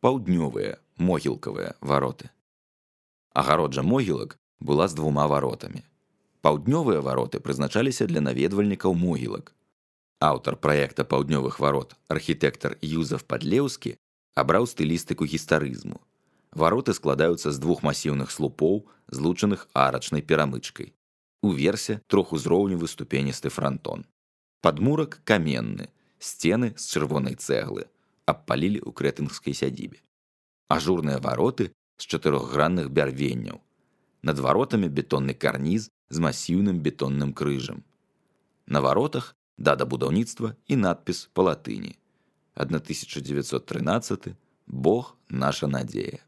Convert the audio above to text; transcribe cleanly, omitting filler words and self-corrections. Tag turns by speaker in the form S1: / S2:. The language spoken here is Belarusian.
S1: паўднёвыя могілкавыя вароты. Агароджа могілак была з 2 варотамі. Паўднёвыя вароты прызначаліся для наведвальнікаў могілак. Аўтар праекта паўднёвых варот, архітэктар Юзеф Падлеўскі, абраў стылістыку гістарызму. Вароты складаюцца з 2 масіўных слупоў, злучаных арачнай перамычкай. Уверсе трохузроўневы ступеністы франтон. Падмурак каменны, сцены з чырвонай цэглы, абпалілі ў крэтэнгскай сядзібе. Ажурныя вароты з 4гранных бярвенняў. Над варотамі бетонны карніз з масіўным бетонным крыжам. На варотах дата будаўніцтва і надпіс па латыні. 1913 «Бог – наша надзея».